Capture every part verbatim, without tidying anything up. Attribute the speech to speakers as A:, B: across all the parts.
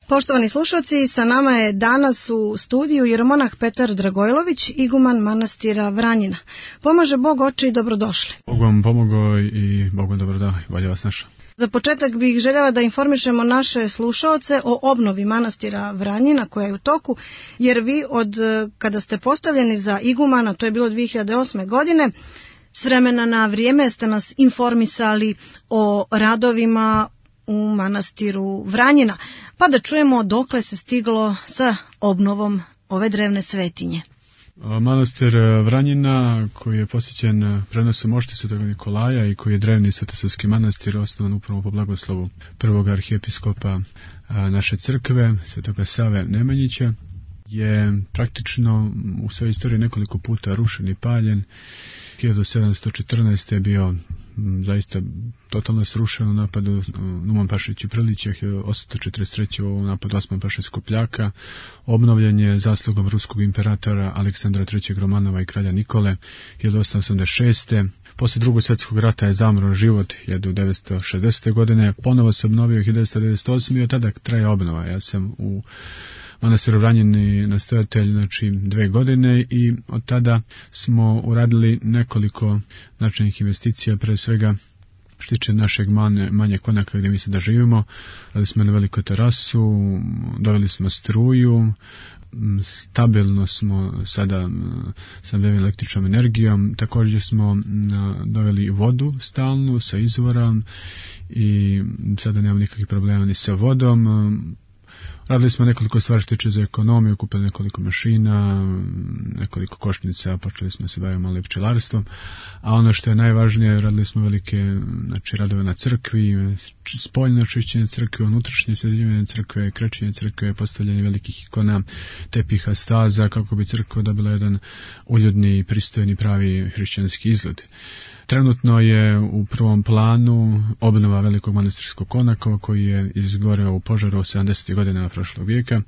A: Poštovani slušalci, sa nama je danas u studiju jeromonah Petar Dragojlović, iguman manastira Vranjina. Pomaže Bog, oče, i dobrodošli.
B: Bog vam pomogao i Bog vam dobro dao, bolje vas našao.
A: Za početak bih željela da informišemo naše slušaoce o obnovi manastira Vranjina koja je u toku, jer vi od kada ste postavljeni za igumana, to je bilo dvije hiljade osme. godine, s vremena na vrijeme ste nas informisali o radovima u manastiru Vranjina, pa da čujemo dokle se stiglo sa obnovom ove drevne svetinje.
B: Manastir Vranjina, koji je posjećen prenosom mošti Svetog Nikolaja i koji je drevni svetosavski manastir, osnovan upravo po blagoslovu prvog arhijepiskopa naše crkve, Svetoga Save Nemanjića, je praktično u svojoj istoriji nekoliko puta rušen i paljen. hiljadu sedamsto četrnaeste. je bio zaista totalno srušen u napadu Numan Pašić i Prlića, hiljadu osamsto četrdeset treće. u napadu Osman Paše Skopljaka. Obnovljen je zaslugom ruskog imperatora Aleksandra trećeg. Romanova i kralja Nikole hiljadu osamsto osamdeset šeste. Poslije drugog svjetskog rata je zamro život hiljadu devetsto šezdesete. godine. Ponovo se obnovio hiljadu devetsto devedeset osme. i od tada traje obnova. Ja sam u manastiru Vranjini nastojatelj, znači dve godine, i od tada smo uradili nekoliko značajnih investicija, pre svega što tiče našeg manje, manje konaka gdje mi se da živimo. Radili smo na veliku terasu, doveli smo struju, stabilno smo sada sa električnom energijom, također smo doveli vodu stalnu sa izvora i sada nemamo nikakvih problema ni sa vodom. Radili smo nekoliko stvari što tiče za ekonomiju, kupili nekoliko mašina, nekoliko košnica, počeli smo se baviti malo i pčelarstvom, a ono što je najvažnije, radili smo velike, znači, radove na crkvi, spoljno čišćenje crkve, unutrašnje sređivanje crkve, krečenje crkve, postavljanje velikih ikona, tepiha, staza, kako bi crkva dobila jedan uljudni, pristojni, pravi hrišćanski izgled. Trenutno je u prvom planu obnova velikog manastirskog konaka koji je izgoreo u požaru sedamdesetih godina prošlog vijeka,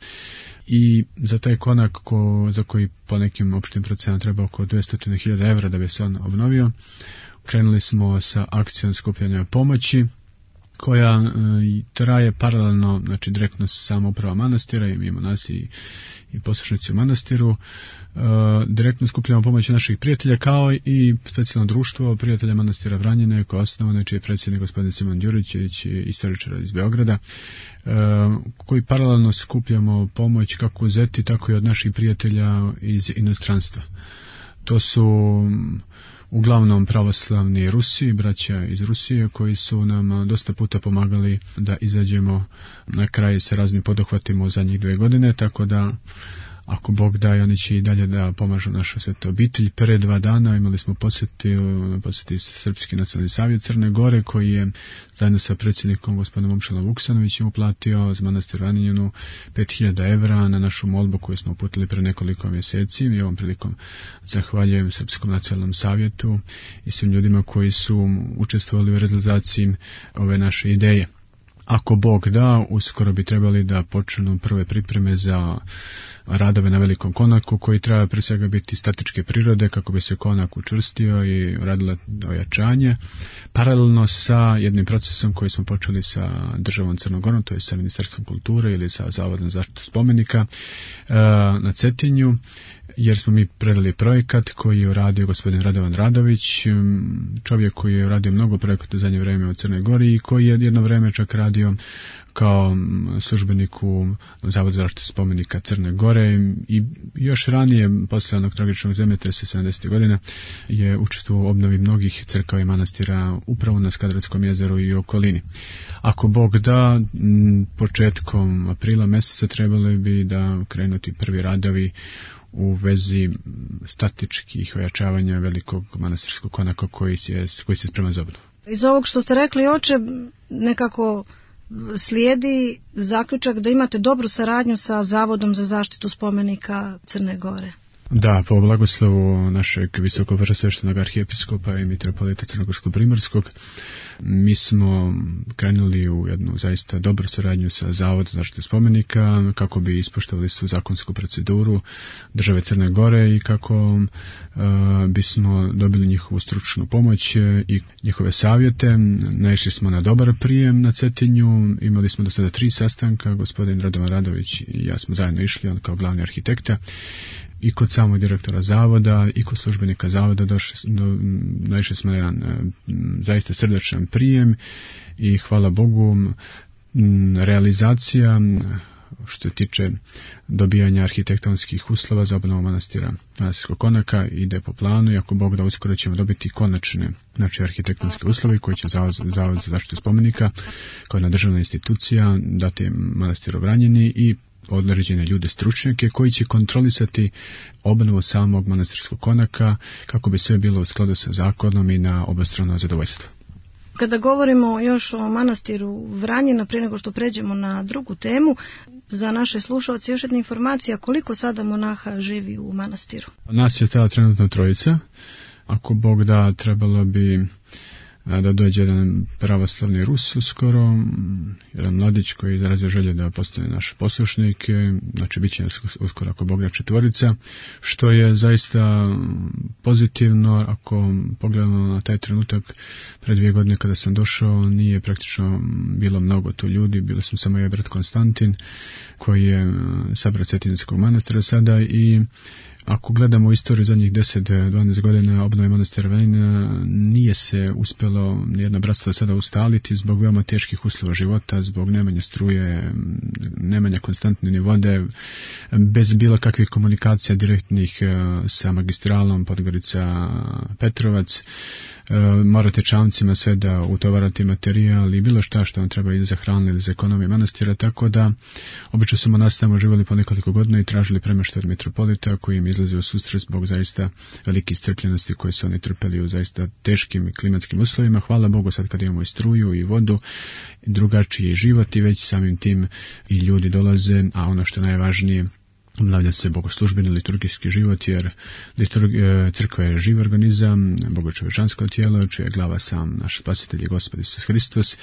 B: i za taj konak ko, za koji po nekim opštim procenama treba oko dvjesto hiljada evra da bi se on obnovio, krenuli smo sa akcijom skupljanja pomoći koja e, traje paralelno, znači direktno sama uprava manastira i mimo nas i, i poslušnici u manastiru. E, direktno skupljamo pomoć naših prijatelja, kao i specijalno društvo prijatelja manastira Vranjine koje je osnovano, čiji je predsjednik gospodin Simon Đurićević, istoričar iz Beograda, e, koji paralelno skupljamo pomoć kako uzeti, tako i od naših prijatelja iz inostranstva. To su uglavnom pravoslavni Rusi, braća iz Rusije, koji su nam dosta puta pomagali da izađemo na kraj sa raznim poduhvatima u zadnjih dve godine, tako da ako Bog daje, oni će i dalje da pomažu našu svetu obitelj. Pre dva dana imali smo posjeti, posjeti Srpski nacionalni savjet Crne Gore, koji je zajedno sa predsjednikom gospodinom Momčilom Vuksanovićem uplatio za manastir Vranjinu pet hiljada evra na našu molbu koju smo uputili pre nekoliko mjeseci. I ovom prilikom zahvaljujem Srpskom nacionalnom savjetu i svim ljudima koji su učestvovali u realizaciji ove naše ideje. Ako Bog da, uskoro bi trebali da počnu prve pripreme za radove na velikom konaku, koji treba pre svega biti statičke prirode kako bi se konak učvrstio i radilo ojačanje, paralelno sa jednim procesom koji smo počeli sa državom Crnogorom, to je sa Ministarstvom kulture ili sa Zavodom za zaštitu spomenika na Cetinju, jer smo mi predali projekat koji je uradio gospodin Radovan Radović, čovjek koji je uradio mnogo projekata u zadnje vrijeme u Crnoj Gori i koji je jedno vrijeme čak radio kao službenik u Zavodu za zaštitu spomenika Crne Gore, i još ranije, posle onog tragičnog zemljotresa sedamdesetih godina, je učestvovao u obnovi mnogih crkava i manastira upravo na Skadrovskom jezeru i okolini. Ako Bog da, početkom aprila mjeseca trebali bi da krenuti prvi radovi u vezi statičkih ojačavanja velikog manastirskog konaka koji se, koji se sprema za obnovu.
A: Iz ovog što ste rekli, oče, nekako slijedi zaključak da imate dobru saradnju sa Zavodom za zaštitu spomenika Crne Gore.
B: Da, po blagoslovu našeg visokoprosveštenog arhijepiskopa i mitropolita Crnogorsko-primorskog, mi smo krenuli u jednu zaista dobru saradnju sa Zavodom za zaštitu spomenika kako bi ispoštovali svu zakonsku proceduru države Crne Gore i kako uh, bismo dobili njihovu stručnu pomoć i njihove savjete. Naišli smo na dobar prijem na Cetinju, imali smo do sada tri sastanka, gospodin Radovan Radović i ja smo zajedno išli, on kao glavni arhitekta, i kod samog direktora zavoda i kod službenika zavoda došli, do, naišli smo na jedan zaista srdačan prijem i hvala Bogu realizacija što se tiče dobijanja arhitektonskih uslova za obnovu manastira manastirskog konaka ide po planu i ako Bog da uskoro ćemo dobiti konačne znači arhitektonske uslove koji će Zavod, Zavod za zaštitu spomenika kao jedna državna institucija dati manastiru Vranjini i određene ljude stručnjake koji će kontrolisati obnovu samog manastirskog konaka kako bi sve bilo u skladu sa zakonom i na obostrano zadovoljstvo.
A: Kada govorimo još o manastiru Vranjina, prije nego što pređemo na drugu temu, za naše slušalce još jedna informacija koliko sada monaha živi u manastiru.
B: Nas je tada trenutno trojica. Ako Bog da, trebalo bi da dođe jedan pravoslavni Rus uskoro, jedan mladić koji izrazio želje da postane naš poslušnik, znači bit će uskoro ako Bog da četvorica, što je zaista pozitivno ako pogledamo na taj trenutak pred dvije godine kada sam došao, nije praktično bilo mnogo tu ljudi, bilo sam samo je brat Konstantin koji je sabrat Cetinskog manastira sada i ako gledamo u istoriju zadnjih deset do dvanaest godina obnove manastira Vranjina nije se uspjelo nijedno bratstvo sada ustaliti zbog veoma teških uslova života, zbog nemanja struje, nemanja konstantne ni vode, bez bilo kakvih komunikacija direktnih sa magistralom Podgorica Petrovac, morate čamcima sve da utovarate materijal i bilo šta što vam treba ili za hranu ili za ekonomiju manastira, tako da obično su monasi tamo živjeli po nekoliko godina i tražili premještaj od mitropolita koji im izlazi u susret zbog zaista velike iscrpljenosti koje su oni trpeli u zaista teškim klimatskim uslovima. Hvala Bogu sad kad imamo i struju i vodu, drugačiji život i već samim tim i ljudi dolaze, a ono što je najvažnije, obnavlja se bogoslužbeni liturgijski život, jer crkva je živ organizam, bogočovečansko tijelo, čije je glava sam naš spasitelj i Gospod Isus Hristos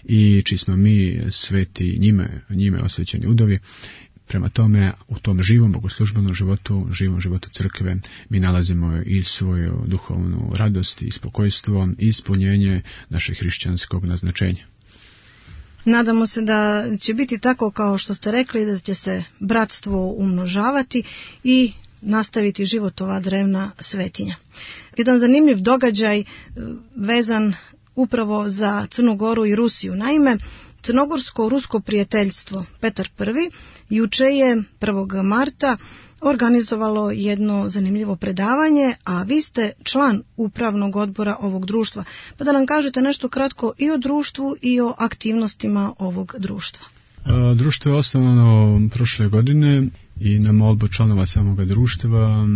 B: i čiji smo mi sveti njime, njime osvećeni udovi. Prema tome, u tom živom bogoslužbenom životu, živom životu crkve, mi nalazimo i svoju duhovnu radost i spokojstvo i ispunjenje našeg hrišćanskog naznačenja.
A: Nadamo se da će biti tako kao što ste rekli, da će se bratstvo umnožavati i nastaviti život ova drevna svetinja. Jedan zanimljiv događaj vezan upravo za Crnu Goru i Rusiju. Naime, Crnogorsko-rusko prijateljstvo Petar Prvi juče je prvog marta organizovalo jedno zanimljivo predavanje, a vi ste član upravnog odbora ovog društva. Pa da nam kažete nešto kratko i o društvu i o aktivnostima ovog društva.
B: Društvo je osnovano prošle godine i na molbu članova samoga društva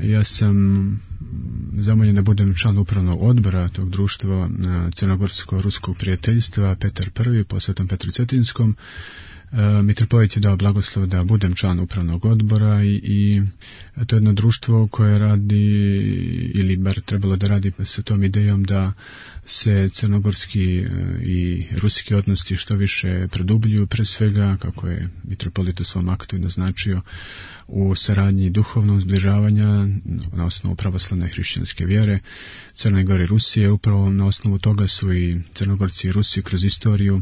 B: ja sam zamoljen da budem član upravnog odbora tog društva Crnogorsko-ruskog prijateljstva Petar Prvi po Svetom Petru Cetinskom. Mitropolit je dao blagoslov da budem član upravnog odbora i, i to je jedno društvo koje radi, ili bar trebalo da radi sa tom idejom da se crnogorski i ruski odnosi što više produbljuju, pre svega, kako je mitropolit u svom aktu naznačio, u saradnji duhovnog zbližavanja na osnovu pravoslavne hrišćanske vjere Crne Gore i Rusije. Upravo na osnovu toga su i Crnogorci i Rusi kroz istoriju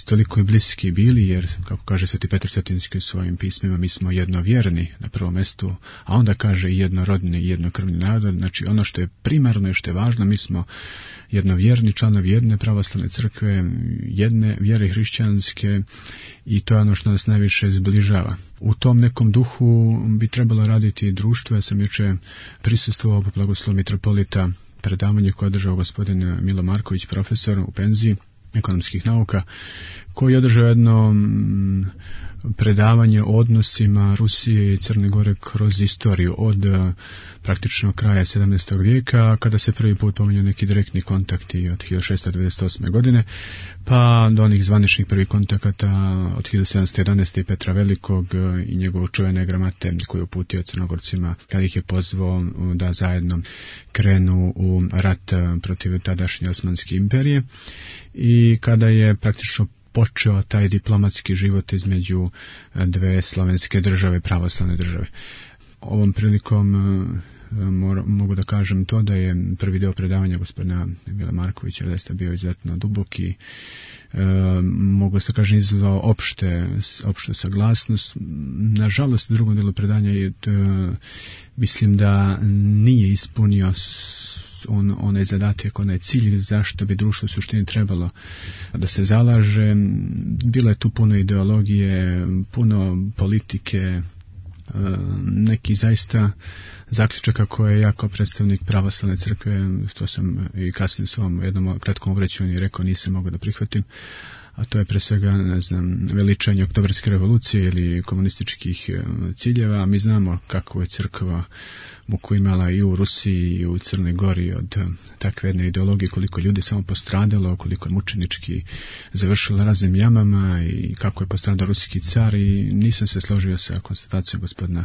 B: toliko i bliski bili, jer kako kaže Sveti Petar Cetinski u svojim pismima, mi smo jednovjerni na prvom mjestu, a onda kaže i jednorodni i jednokrvni narod. Znači ono što je primarno i što je važno, mi smo jednovjerni članovi jedne pravoslavne crkve, jedne vjere hrišćanske i to je ono što nas najviše zbližava. U tom nekom duhu bi trebalo raditi društvo. Ja sam juče prisustvovao po blagoslovu mitropolita predavanje koje je održao gospodin Milo Marković, profesor u penziji ekonomskih nauka, koji je održao jedno predavanje o odnosima Rusije i Crne Gore kroz istoriju od praktično kraja sedamnaestog vijeka, kada se prvi put pominju neki direktni kontakti od hiljadu šessto devedeset osme. godine, pa do onih zvaničnih prvih kontakata od hiljadu sedamsto jedanaeste. i Petra Velikog i njegovog čuvene gramate koju je uputio Crnogorcima kada ih je pozvao da zajedno krenu u rat protiv tadašnje Osmanske imperije i kada je praktično počeo taj diplomatski život između dve slovenske države, pravoslavne države. Ovom prilikom mogu da kažem to da je prvi deo predavanja gospodina Mila Markovića zaista bio izuzetno duboki, e, mogu se kažem izveo opšte, opšte saglasnost. Nažalost, u drugom delu predanja je, to, mislim da nije ispunio on, onaj zadatak, onaj cilj zašto bi društvo u suštini trebalo da se zalaže. Bilo je tu puno ideologije, puno politike, neki zaista zaključaka koje ja kao predstavnik pravoslavne crkve, to sam i kasnije s ovom jednom kratkom obraćanju rekao, nisam mogao da prihvatim, a to je pre svega, ne znam, veličanje oktobarske revolucije ili komunističkih ciljeva. Mi znamo kako je crkva muku imala i u Rusiji i u Crnoj Gori od takve jedne ideologije, koliko ljudi samo postradalo, koliko je mučenički završilo raznim jamama i kako je postradao ruski car, i nisam se složio sa konstatacijom gospodina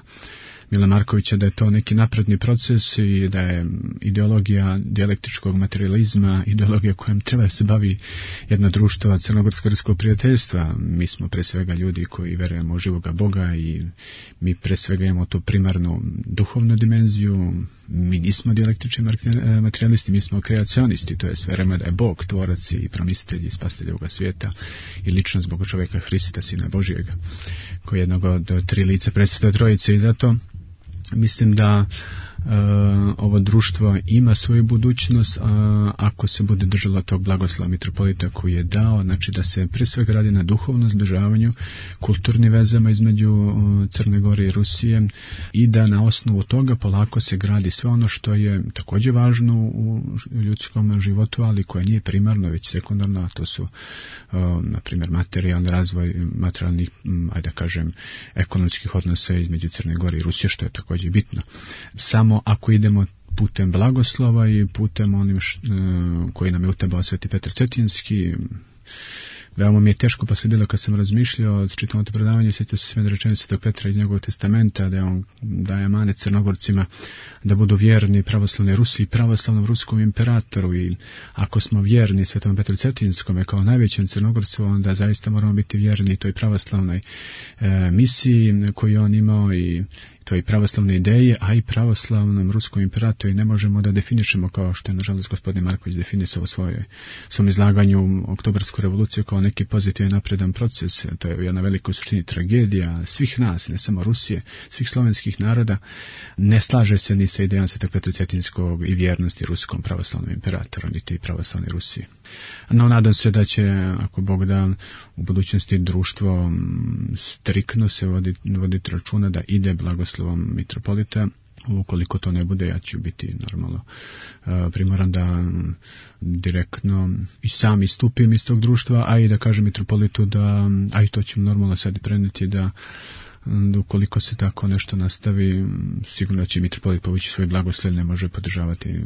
B: Mila Markovića da je to neki napredni proces i da je ideologija dijalektičkog materializma ideologija kojom treba da se bavi jedno društvo crnogorsko-ruskog prijateljstva. Mi smo pre svega ljudi koji verujemo u živoga Boga i mi pre svega imamo tu primarnu duhovnu dimenziju. Mi nismo dijalektični materialisti, mi smo kreacionisti, to je verujemo da je Bog tvorac i promislitelj i spasitelj ovoga svijeta i ličnost Boga čovjeka Hrista, Sina Božijega, koji je jednog od tri lica predstavlja trojice, i zato mislim da Uh, ovo društvo ima svoju budućnost uh, ako se bude držalo tog blagoslova mitropolita koji je dao, znači da se pre svega radi na duhovnom zbližavanju, kulturnim vezama između uh, Crne Gore i Rusije, i da na osnovu toga polako se gradi sve ono što je također važno u ljudskom životu, ali koje nije primarno već sekundarno, a to su uh, na primjer materijalni razvoj, materijalnih, um, ajde da kažem, ekonomskih odnosa između Crne Gore i Rusije, što je također bitno. Samo ako idemo putem blagoslova i putem onim š, koji nam je utebao Sveti Petar Cetinski, veoma mi je teško posle bilo kad sam razmišljao, čitam to predavanje, sjetio se sve rečenice Svetog Petra iz njegovog testamenta, da on daje amanet Crnogorcima da budu vjerni pravoslavnoj Rusiji i pravoslavnom ruskom imperatoru, i ako smo vjerni Svetom Petru Cetinskome kao najvećem Crnogorcu, onda zaista moramo biti vjerni toj pravoslavnoj e, misiji koju on imao i toj pravoslavne ideje, a i pravoslavnom ruskom imperatoru, i ne možemo da definišemo, kao što je nažalost gospodin Marković definisao u svojoj svom izlaganju oktobarsku revoluciju kao neki pozitivan napredan proces. To je jedna velika u suštini tragedija svih nas, ne samo Rusije, svih slovenskih naroda. Ne slaže se ni sa idejom Svetog Petra Cetinskog i vjernosti ruskom pravoslavnom imperatoru, niti i pravoslavnoj Rusiji. No, nadam se da će, ako Bog da, u budućnosti društvo striktno se voditi vodit računa da ide blagoslovom mitropolita. Ukoliko to ne bude, ja ću biti normalno primoran da direktno i sam istupim iz tog društva, a i da kažem mitropolitu da, a i to ću normalno sad i preneti, da da ukoliko se tako nešto nastavi, sigurno će mitropolit povući svoj blagoslov, ne može podržavati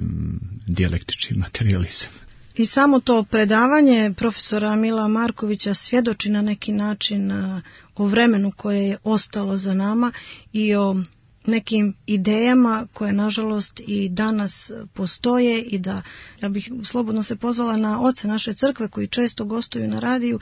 B: dijalektični materializam.
A: I samo to predavanje profesora Mila Markovića svjedoči na neki način o vremenu koje je ostalo za nama i o nekim idejama koje nažalost i danas postoje, i da ja bih slobodno se pozvala na oce naše crkve koji često gostuju na radiju,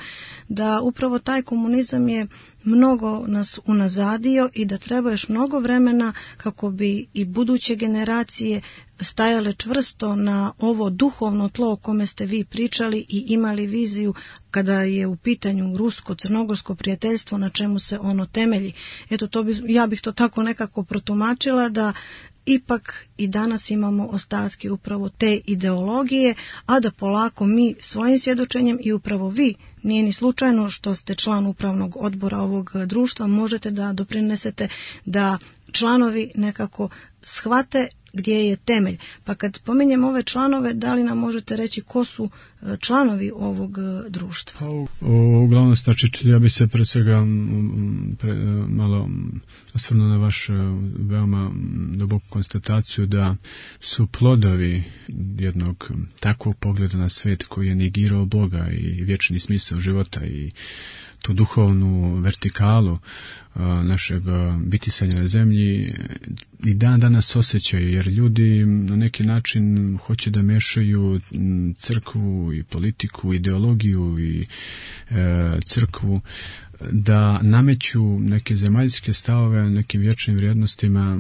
A: da upravo taj komunizam je mnogo nas unazadio i da treba još mnogo vremena kako bi i buduće generacije stajale čvrsto na ovo duhovno tlo o kome ste vi pričali i imali viziju kada je u pitanju rusko-crnogorsko prijateljstvo, na čemu se ono temelji. Eto, to bi, ja bih to tako nekako protumačila, da ipak i danas imamo ostatke upravo te ideologije, a da polako mi svojim svjedočenjem, i upravo vi, nije ni slučajno što ste član upravnog odbora ovog društva, možete da doprinesete da članovi nekako shvate gdje je temelj. Pa kad pominjem ove članove, da li nam možete reći ko su članovi ovog društva?
B: Uglavnom, znači, ja bi se pre svega pre, malo osvrnuo na vašu veoma duboku konstataciju da su plodovi jednog takvog pogleda na svijet koji je negirao Boga i vječni smisao života i tu duhovnu vertikalu a, našeg bitisanja na zemlji i dan danas osjećaju, jer ljudi na neki način hoće da mešaju crkvu i politiku, ideologiju i e, crkvu, da nameću neke zemaljske stavove nekim vječnim vrijednostima.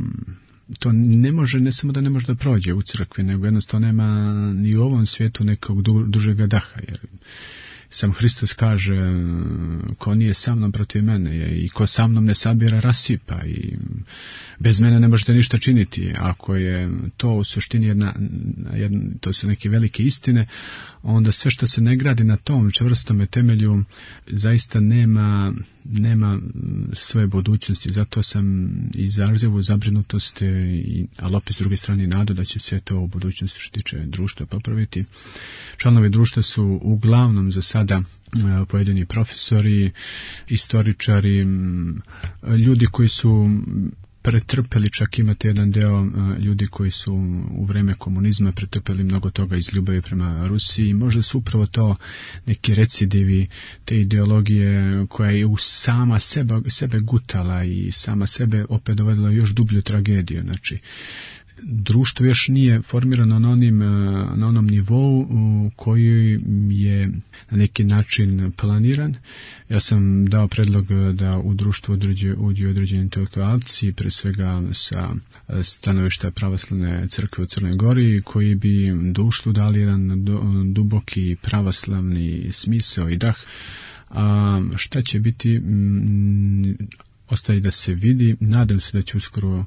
B: To ne može, ne samo da ne može da prođe u crkvi, nego jednostavno nema ni u ovom svijetu nekog du, dužega daha, jer sam Hristos kaže, ko nije sa mnom protiv mene i ko sa mnom ne sabira rasipa i bez mene ne možete ništa činiti. Ako je to u suštini jedna, jedna, to su neke velike istine, onda sve što se ne gradi na tom čvrstome temelju zaista nema, nema svoje budućnosti. Zato sam izrazio u zabrinutost, i, ali opet s druge strane nadu da će se to u budućnosti što tiče društva popraviti. Članovi društva su uglavnom za sada pojedini profesori, istoričari, ljudi koji su pretrpeli, čak imate jedan deo ljudi koji su u vreme komunizma pretrpeli mnogo toga iz ljubavi prema Rusiji. Možda su upravo to neki recidivi te ideologije koja je u sama sebe, sebe gutala i sama sebe opet dovedila još dublju tragediju. Znači, društvo još nije formirano na, onim, na onom nivou koji je na neki način planiran. Ja sam dao predlog da u društvu uđu određeni intelektualci, pre svega sa stanovišta pravoslavne crkve u Crnoj Gori, koji bi društvu dali jedan duboki pravoslavni smisao i dah. A šta će biti, m, ostaje da se vidi. Nadam se da će uskoro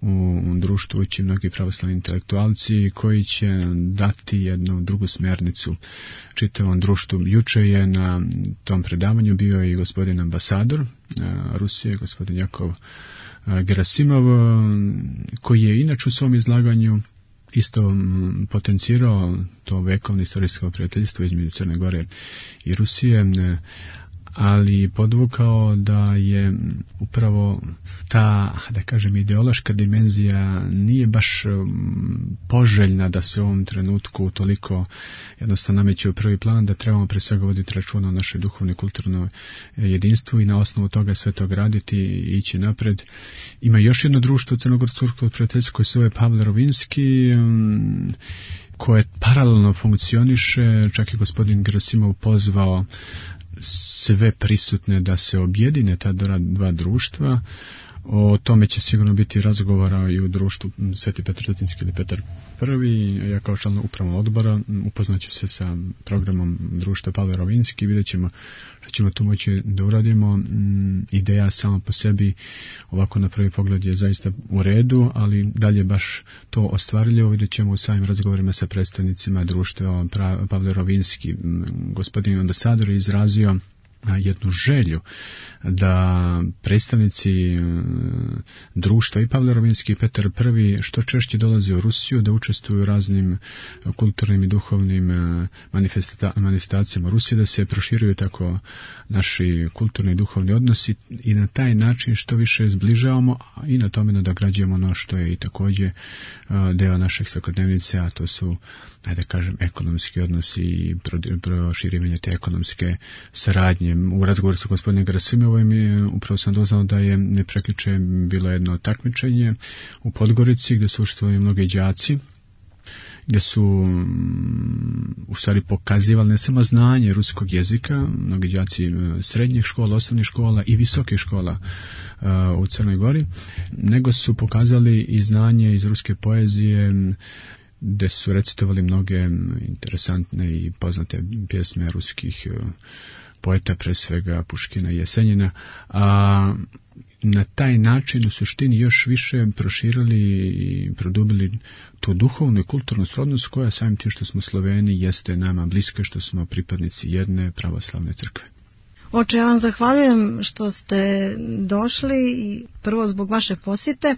B: u društvu ući mnogi pravoslavni intelektualci koji će dati jednu drugu smjernicu čitavom društvu. Juče je na tom predavanju bio i gospodin ambasador Rusije, gospodin Jakov Gerasimov, koji je inače u svom izlaganju isto potencirao to vekovno istorijsko prijateljstvo između Crne Gore i Rusije, ali podvukao da je upravo ta, da kažem, ideološka dimenzija nije baš poželjna da se u ovom trenutku toliko jednostavno nameće u prvi plan, da trebamo pre svega voditi računa o našoj duhovnoj i kulturnoj jedinstvu i na osnovu toga sve to graditi i ići napred. Ima još jedno društvo crnogorskog prijateljstva koje se zove Pavle Rovinski, koje paralelno funkcioniše. Čak je gospodin Gerasimov pozvao sve prisutne da se objedine ta dva društva. O tome će sigurno biti razgovora i u društvu Sveti Petar Cetinski ili Petar Prvi. Ja kao član upravnog odbora upoznaću se sa programom društva Pavle Rovinski i vidjet ćemo što ćemo tu moći da uradimo. Ideja sama po sebi ovako na prvi pogled je zaista u redu, ali dalje baš to ostvarljivo vidjet ćemo u samim razgovorima sa predstavnicima društva Pavle Rovinski. Gospodin ambasador je izrazio jednu želju da predstavnici društva i Pavle Rovinski i Petar Prvi što češće dolaze u Rusiju, da učestvuju u raznim kulturnim i duhovnim manifestacijama Rusije, da se proširuju tako naši kulturni i duhovni odnosi i na taj način što više zbližavamo i na tome nadograđujemo ono što je i također deo našeg svakodnevnice, a to su, ajde kažem, ekonomski odnosi i proširivanje te ekonomske saradnje. U razgovoru sa gospodinom Gerasimovim upravo sam doznao da je neprekliče bilo jedno takmičenje u Podgorici gdje su učestvovali mnogi đaci, gdje su u stvari pokazivali ne samo znanje ruskog jezika, mnogi đaci srednjih škola, osnovnih škola i visokih škola uh, u Crnoj Gori, nego su pokazali i znanje iz ruske poezije, gdje su recitovali mnoge interesantne i poznate pjesme ruskih uh, poeta, pre svega Puškina i Jesenjina, a na taj način u suštini još više proširili i produbili tu duhovnu i kulturnu srodnost koja samim tim što smo Sloveni jeste nama bliska, što smo pripadnici jedne pravoslavne crkve.
A: Oče, ja vam zahvaljujem što ste došli i prvo zbog vaše posjete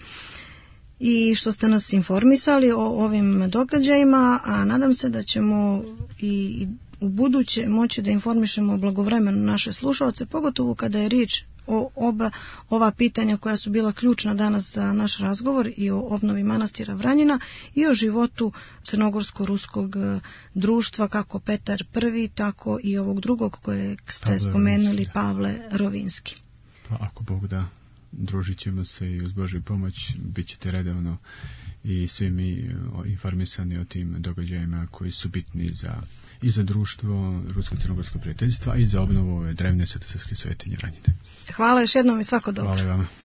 A: i što ste nas informisali o ovim događajima, a nadam se da ćemo i u buduće moći da informišemo blagovremeno naše slušalce, pogotovo kada je riječ o oba ova pitanja koja su bila ključna danas za naš razgovor, i o obnovi manastira Vranjina i o životu crnogorsko-ruskog društva, kako Petar Prvi, tako i ovog drugog kojeg ste Pavle spomenuli, Rovinski. Pavle Rovinski.
B: Pa ako Bog da, družit ćemo se i uz Božju pomoć bit ćete redovno i svi mi informisani o tim događajima koji su bitni za, i za društvo rusko-crnogorskog prijateljstva i za obnovu ove drevne svetosavske svetinje Vranjine.
A: Hvala još jednom i svako dobro.
B: Hvala vama.